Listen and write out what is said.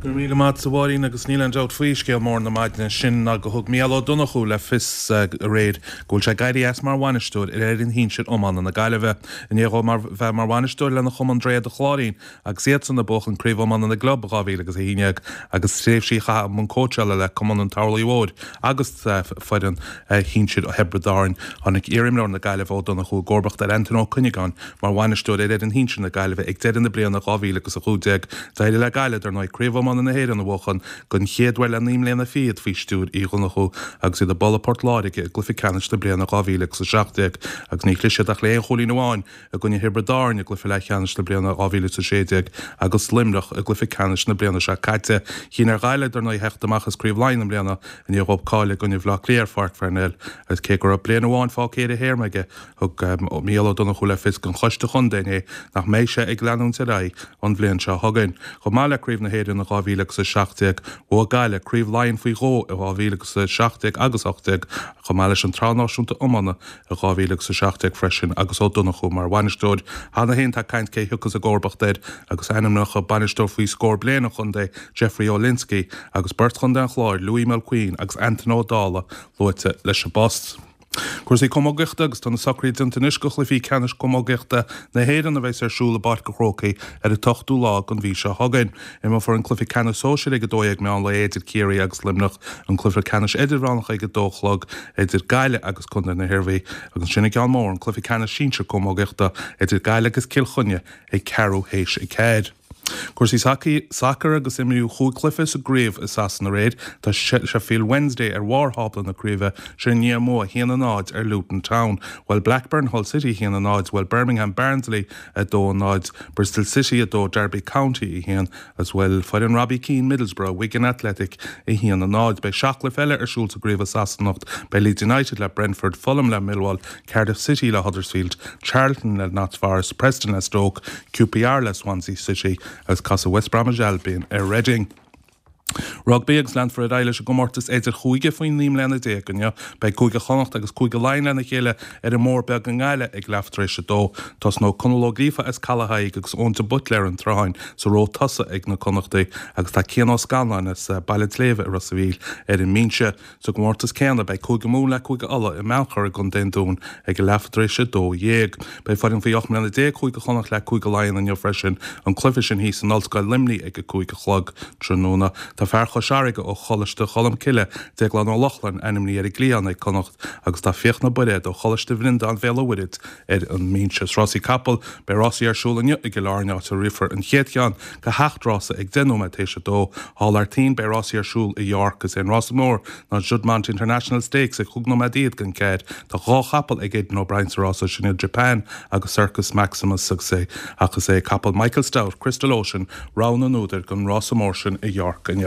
Go raibh míle maith agat, a Mháirín, agus níl aon dabht faoi, scéal mór na maidine sin ná go thug Mícheál Ó Donnchú le fios aréir go bhfuil sé ag éirí as mar bhainisteoir ar fhoireann shinsir iomána na Gaillimhe. I ndiaidh dhó mar bheith mar bhainisteoir lena chumann Droichead an Chláirín agus iadsan ag buachan Craobh Iomána na gClub i 2011 agus tréimhsí a chaitheamh i mbun cóitseála le cumann an Turlaigh Mhóir agus foireann shinsir Thiobraid Árann, tháinig iarimreoir na Gaillimhe Ó Donnchú i gcomharbacht ar Antaine Ó Cuinneagáin Mar bhainisteoir ar fhoireann shinsir na Gaillimhe ag deireadh na bliana 2015, d'éirigh le Gaillimh, dar ndóigh, Craobh Iomána na hÉireann a bhuachan den chéad uair le naoi mbliana fichead faoi stiúir Uí Dhonnchú agus iad ag bualadh Port Láirge i gcluiche ceannais na bliana 2017 agus níor chlis siad ach le haon chúilín amháin i gcoinne Thiobraid Árann i gcluiche leathcheannais na bliana 2016 agus Luimneach i gcluiche ceannais na bliana seo caite. Chinn ar Ghaillimh, dar ndóigh, theacht amach as Craobh Laighean i mbliana i ndiaidh dhóibh cailleadh i gcoinne Bhaile Átha Cliath ar Pháirc Pharnell agus cé go raibh bliain amháin fágtha ar a théarma aige, Thug Mícheál Ó Donnchú le fios don choiste chontae inné nach mbeidh sé ag leanúint ar aghaidh an bhliain seo chugainn. Chomh maith le Craobh na hÉireann in 2017, bhuaigh Gaillimh Craobh Laighean faoi dhó i 2017 agus 18, chomh maith leis an tSraith Náisiúnta Iomána i 2017 freisin agus Ó Donnchú mar bhainisteoir. Cheana féin tá caint cé thiocfas i gcomharbacht air agus ainmneacha bainisteoir faoi scór bliain an chontae, Jeffrey Olinsky, agus beirt chontae an Chláir, Louis Mulqueen agus Antaine Ó Dálaigh, luaite leis an bpost. Cúrsaí camógaíochta agus tá na socruithe déanta anois do chluichí ceannais camógaíochta na hÉireann a bheas ar siúl i bPáirc an Chrócaigh ar an t-ochtú lá den mhí seo chugainn. Imreofar an cluiche ceannais sóisir ag 12 meán lae idir Ciarraí agus Luimneach, an cluiche ceannais idirmheánach ag 2 a chlog idir Gaillimh agus Contae na hIarmhí agus ansin an ceann mór, an cluiche ceannais sinsir camógaíochta idir Gaillimh agus Cill Chainnigh ag ceathrú théis a ceathair. Cúrsaí sacair agus imríodh chúig chluiche sa gcraobh i Sasana aréir. Tá Sheffield Wednesday ar bharr thábla na craoibhe, sin i ndiaidh a mbua 1-0 ar Luton Town. Bhuail Blackburn Hull City 1-0, bhuail Birmingham Barnsley 2-0, Bristol City 2, Derby County 1 agus bhuail foireann Robbie Keane Middlesbrough Wigan Athletic 1-0. Beidh seacht gcluiche eile ar siúl sa gcraobh i Sasana anocht. Beidh Leeds United le Brentford, Fulham le Millwall, Cardiff City le Huddersfield, Charlton le Notts Forest, Preston le Stoke, QPR le Swansea City agus casfaidh West Bromwich Albion ar Reading. Rugbaí agus leanfar ar aghaidh leis an gcomórtas idir-chúige faoi 19 mbliana inniu. Beidh Cúige Chonnacht agus Cúige Laighean lena chéile ar an mBóthar Beag i nGaillimh ag leath tar éis a dó. Tosnóidh Conall Ó Gríofa as Caladh Thaidhg agus Eoin de Buitléar an tSrutháin sa ró tosaigh ag na Connachtaigh agus tá Cian Ó Scanláin as Baile an tSléibhe i Ros a' Mhíl ar an mbinse. Sa gcomórtas céanna, beidh Cúige Mumhan le Cúige Uladh i mBeannchar i gContae an Dúin ag a leath tar éis 12. Beidh foireann faoi 18 mbliana Chúige Chonnacht le Cúige Laighean inniu freisin, an cluiche sin thíos in Ollscoil Luimnigh ag a 5 a chlog tráthnóna. Tá fear Chois Fharraige ó Choláiste Cholmcille, Déaglán Ó Lochlainn, ainmnithe ar an gcliathán ag Connacht agus tá Fiachna Bairéad ó Choláiste Bhreandáin Bhéal an Mhuirthead ar an mbinse. Is rásaí capall, beidh rásaí ar siúl inniu i gCill Airne áit a rithfear an chéad cheann de sheacht rása ag 10 nóiméad théis a dó. Thall thar toinn, beidh rásaí ar siúl i York. Is é an rása mór ná Juddmonte International Stakes ag chúig nóiméad fhichead don cheathair. Tá dhá chapall ag Aidan O'Brien sa rása sin iad Japan agus Circus Maximus agus é ach is é capall Michael Stoute, Crystal Ocean, rogha na n-údar don rása mór sin i York inniu.